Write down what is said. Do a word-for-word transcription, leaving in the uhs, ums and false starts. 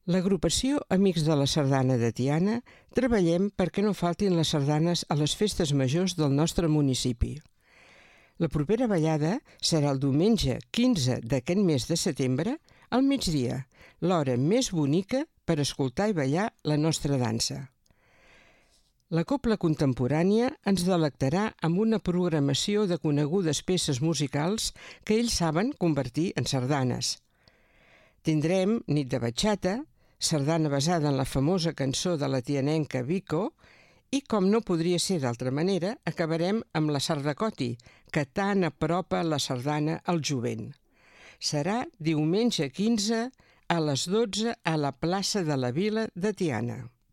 L'agrupació Amics de la Sardana de Tiana treballem perquè no faltin les sardanes a les festes majors del nostre municipi. La propera ballada serà el diumenge quinze d'aquest mes de setembre al migdia, l'hora més bonica per escoltar i ballar la nostra dansa. La Cobla Contemporània ens delectarà amb una programació de conegudes peces musicals que ells saben convertir en sardanes. Tindrem nit de batxata, sardana basada en la famosa cançó de la tianenca Vico i, com no podria ser d'altra manera, acabarem amb la sardacoti, que tant apropa la sardana al jovent. Serà diumenge quinze a les dotze a la plaça de la Vila de Tiana.